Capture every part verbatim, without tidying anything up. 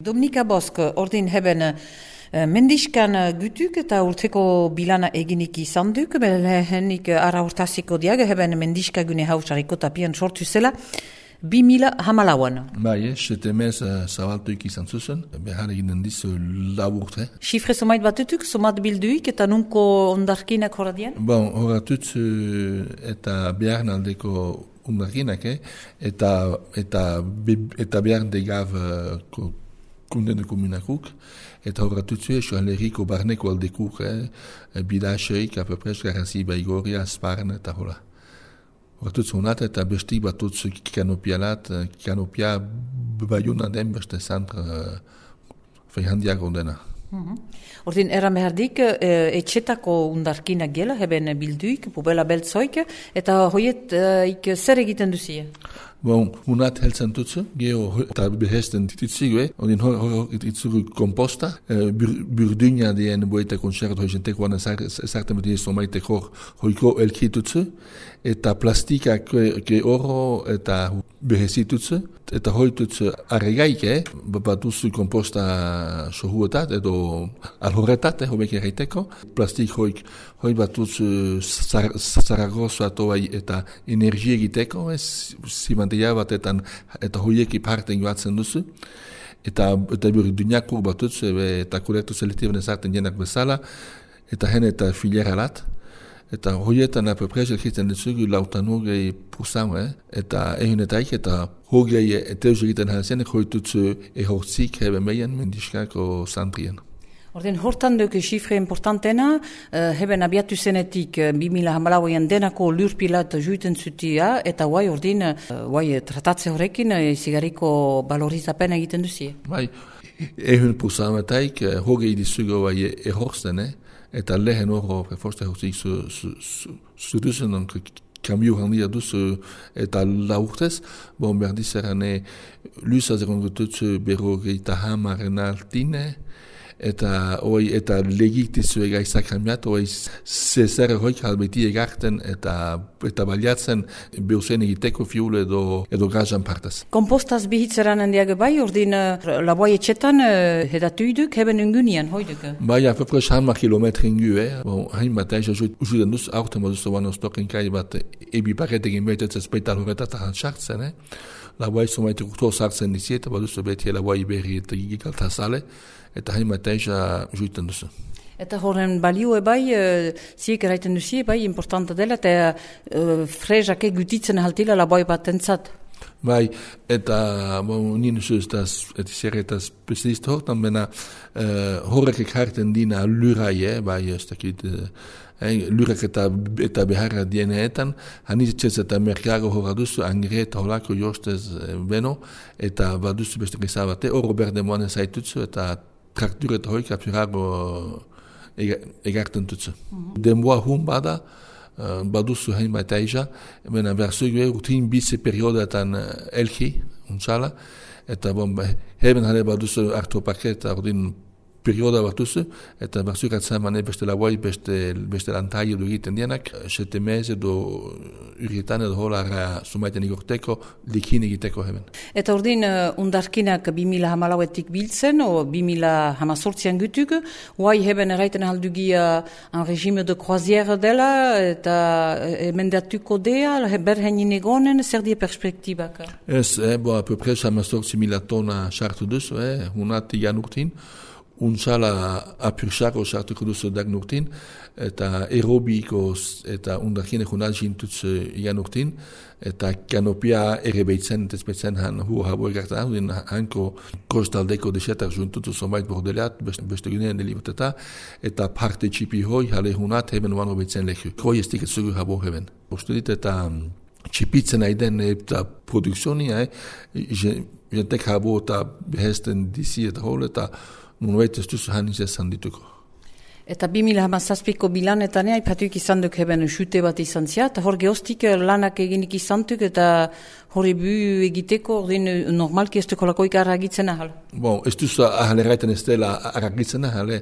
Dominika Bosk, ordin heben mendiskan gutuk eta urteko bilana eginik izan duk, lehenik ara urtaziko diag, heben mendiska gune hausariko tapian sortu zela, bi mila hamalauan. Bai, sete mez zabaltuik izan zuzen, behar eginen dizu laburte. Xifre somait batutuk, somat bilduik eta nunko ondarkinak horadian? Bon, horatut eta behar naldeko ondarkinak, eh? eta, eta, eta behar degav uh, kunden de komunakuk, eta horatutzu esio aleriko barneko aldekuk, eh? bidaxeik, apepres, garanzi baigoria, sparn, eta hola. Horatutzu honat, eta bestik batutzu kanopialat, kanopia baiuna den beste zantra uh, fehandiak ondena. Mm-hmm. Ordin, eran behardik, e, etxetako undarkinak gela, heben bilduik, pubela beltzoik, eta hoiet ik zer egiten duzie? Bon, unat heltzen tutzu, geho eta behesten titzigue, ondin hor hor itzuru komposta, burduina dien boeta konservat hoizenteko wana sartan beti somaite hor hoiko elkitutzu, eta plastika ke oro eta behesitutzu, eta hoitutzu arregaike, batuzu komposta sohuetat, edo alhorretat, hobek erraiteko, plastik hoik, hoi batutzu zaragozo atoai eta energie egiteko, zimanteia batetan, eta hoieki parten joatzen duzu, eta eta burduinakur batutzu, eta kolektu selektiben ezarten jenak bezala, eta hen eta filieralat, eta hoietan apeprez elkiten dutzugu lautan hogei pusan, eh? eta egin eta ik, eta hogei eteuz egiten halzen, hoitutzu ehortzik heben meien mendiskako zantrien. Orden, hortan duk xifre importantena, uh, heben abiatu zenetik uh, bi mila hamalauan denako lurpilat juiten zutia, eta guai ordin, uh, guai tratatze horrekin, uh, zigariko valorizapen egiten duzie. Bai, ehun pusan etaik, uh, hogei dizugo guai ehorzen, eh? Eta lehen horro preforste hortzik zuduzen, su, su kamio handia duzu eta laurtez, bon berdiz erane lusa zerongututzu berrogeita hamaren altine, eta oi eta legitizu egaizak hamiat, oi zezer hoik halbeti egarten eta eta baliatzen beuzen egiteko fiul edo, edo gazan partez. Kompostaz bihitzeran handiak bai, ordin laboi etxetan hedatuiduk heben ungunian, hoiduk? Bai, apepres hamar kilometri ingu, eh? Bon, hain bat aiz, usuiden duz, aurten moduzu banostok inkai bat ebi paketekin behitetz peital horretat sartzen, eh? Laboi somaite kurtor sartzen diziet, baduzu beti laboi berri eta gigalta sale, eta hain bat aiz juiten duzu. Eta horren balio bai, uh, ziek eraiten duzie, bai, importanta dela, eta uh, frezake gutitzen haltila laboi bat entzat. Bai, eta bon, nien zuz, eta zer eta specialist hortan, bena uh, horrek ekarten dina lurai, eh? Bai, ez dakit, uh, eh, lurak eta, eta beharra dieneetan, hanitzez eta merkago horra duzu, angre eta holako jostez eh, beno, eta baduzu beste gizabate, oro berde moane zaitutzu, eta traktur eta hoik apirago egarten tutzu. Mm-hmm. Denboa hun bada, uh, baduzu hain bat aiza, bena berzugu rutin bize periodetan elki, untsala, eta bon, heben hale baduzu hartu paketa, ordin perioda batuzu, eta barzuk atzamane beste laboi, beste, beste lantai edo egiten dienak, sete mez edo urietan edo holara sumaiten igorteko, likin egiteko heben. Eta ordin, uh, undarkinak bi mila hamalauetik biltzen, o bi mila hamazortzian gutuk, guai heben erraiten aldugia un regime de croisière dela, eta emendatuko dea, berhenin egonen, zer die perspektibak? Ez, eh, bo, apepres hamazortzi mila tona sartu duzu, eh, unati janurtin, untsala apirsako sartuko duzu dag nurtin, eta aerobiko eta undarkine junal jintutz igan nurtin, eta kanopia ere behitzen, tezpetzen han hu habo egartan, hudin hanko kostaldeko desetak juntutu somait bordelat, beste gunean deliboteta, eta parte txipi hoi, hale hunat, heben wano behitzen leku. Hoi ez tiket zugu habo heben. Postu dit eta txipitzen aiden eta produkzioni, eh, jentek habo eta behesten dizi eta hol, eta nunuet ez duzu haniz ezan dituko. Eta bi mila hamazazpiko bilanetan aipatuik izan duk heben xute bat izan zia, eta hor gehoztik lanak eginik izan duk, eta hori bu egiteko, ordin normalki ez duko lakoik arragitzen ahal. Bon, ez duzu ahal erraiten ez dela arragitzen ahal,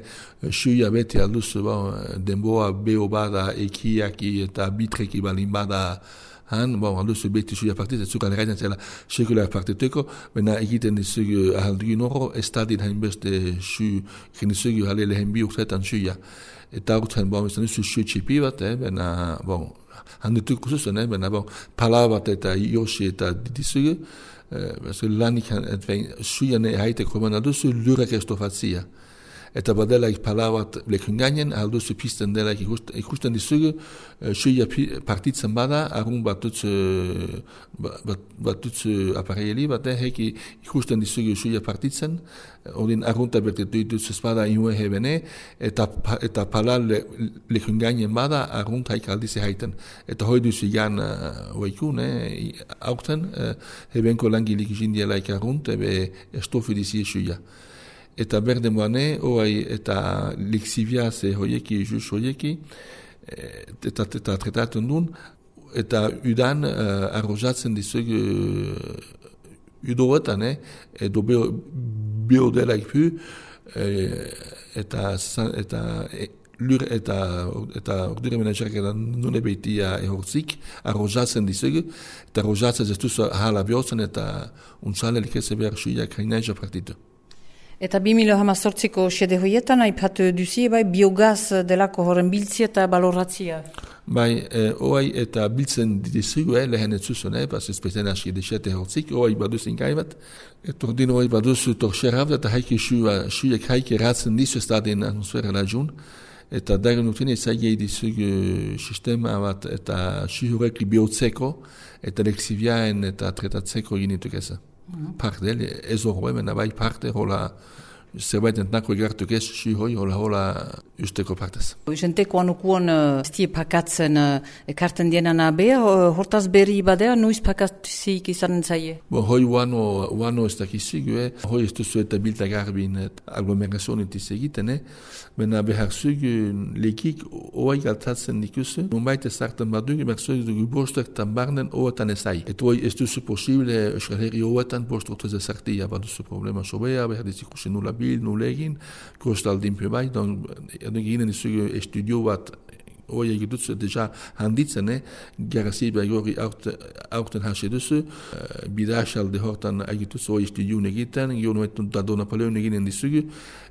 suia beti alduzu, bon, denboa beho bada, ekiaki eta bitreki balin bada han, bon, alduzu beti suia partitzen, ez zuk aleraiten zela sekula partiteko, baina egiten dizugu ahaldugin horro, ez dadin hainbeste su, genizugu hale lehen bi urteetan suia. Eta urtean, bon, ez duzu su txipi bat, eh, baina, bon, handituk kusuzen, eh, baina, bon, pala bat eta yoshi eta dizugu, eh, lanik, suian haiteko, baina duzu lurek estofatzia. Eta badelaik pala bat lekun gainen, alduzu pisten delaik ikusten dizugu, suia partitzen bada, argun bat dutz, bat, bat dutz apareieli bat, heki ikusten dizugu suia partitzen, ordin argunta bertetu dutz ez bada inue hebene, eta, eta pala le, lekun gainen bada, argunta haik aldize haiten. Eta hoi duzu jan oikun, eh, aurten, hebenko langilik jindielaik argunt, ebe estofi dizie suia. Eta berde moane, oai, eta liksivia ze hoieki, juz hoieki, eta, eta tretaten duen, eta udan uh, arrojatzen dizugu uh, udoetan, eh, edo biodelaik pu, eh, eta, eta e, lur eta, eta ordure menagerak edan nune behitia ehortzik, arrojatzen dizugu, eta arrojatzen ez duzu ahala biotzen, eta untzalelik ez behar suiak hainaisa partitu. Eta bi mila hamazortziko xede hoietan, aipatu duzie, bai, biogaz delako horren biltzi eta baloratzia. Bai, eh, oai eta biltzen dizugu, eh, lehen etzuzun, eh, pas ezpeten aski desete hortzik, oai baduz ingai bat, et ordin oai baduz torxerab, eta haiki suiak haiki ratzen dizu ez dadin atmosfera lajun, eta dagen urtene zaigei dizugu sistema bat, eta suhurek biotzeko, eta leksiviaen eta tretatzeko ginituk eza. Mm-hmm. Parte, ez horre, mena bai parte, hola, zerbait entnako egartuk ez, si hoi, hola, hola, usteko partez. Jenteko anukuan estie pakatzen ekarten dienan abea, hortaz berri badea, nuiz pakatzik izanen zaie? Bo, hoi uano, uano ez dakizigu, eh? Hoi ez duzu eta bilta garbin aglomerazionet izegiten, eh? Bena behar zugu lekik oai galtatzen dikuzu, nunbait ez hartan badugu, behar zugu dugu bostetan barnen oetan ezai. Et hoi ez duzu posible, euskal herri oetan bostortuz ez hartia, baduzu problema sobea, behar dizikusi nula bil, nula egin, kostaldin pe bai, don eginen dizugu estudio bat hoi egitutzu deja handitzen, eh? Garazi behagori aurten hase duzu, uh, bidaxalde hortan egitutzu hoi estudioun egiten, gio nuetun da do Napoleon eginen dizugu,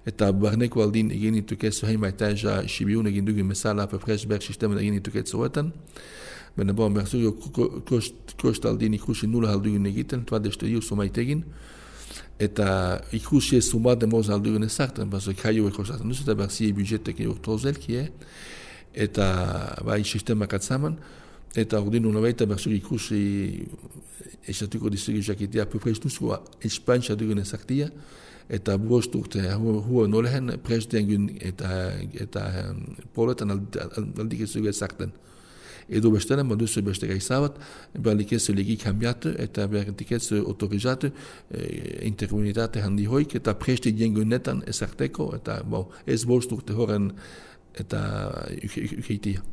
eta barneko aldin egin ituketzu heima etaja Sibiun egin dugu mesala apapres ber sistemen egin ituketzu hoetan. Bena bon, berzugu kostaldin ikusi nula haldugun egiten, tuad estudio sumait egin, eta ikusi ez sumade moz haldugun ezartan, bazo kaio ekosatzen duzu, eta berzi budgetek urtozelki, eh? Eta bai sistemak atzaman, eta ordin unabaita berzugu ikusi esatuko dizugu jakitea apupres duzu espantxa dugun ezartia, eta bost urte hua nolehen presdengun eta, eta poletan aldik ezugu ezartan. Edo bestelen, baduzu beste gaizabat, berlikezu legi kambiatu eta berlikezu autorizatu e, interkomunitate handi hoik eta presti jengunetan ezarteko eta bon, ez bost urte horren eta ukeitia.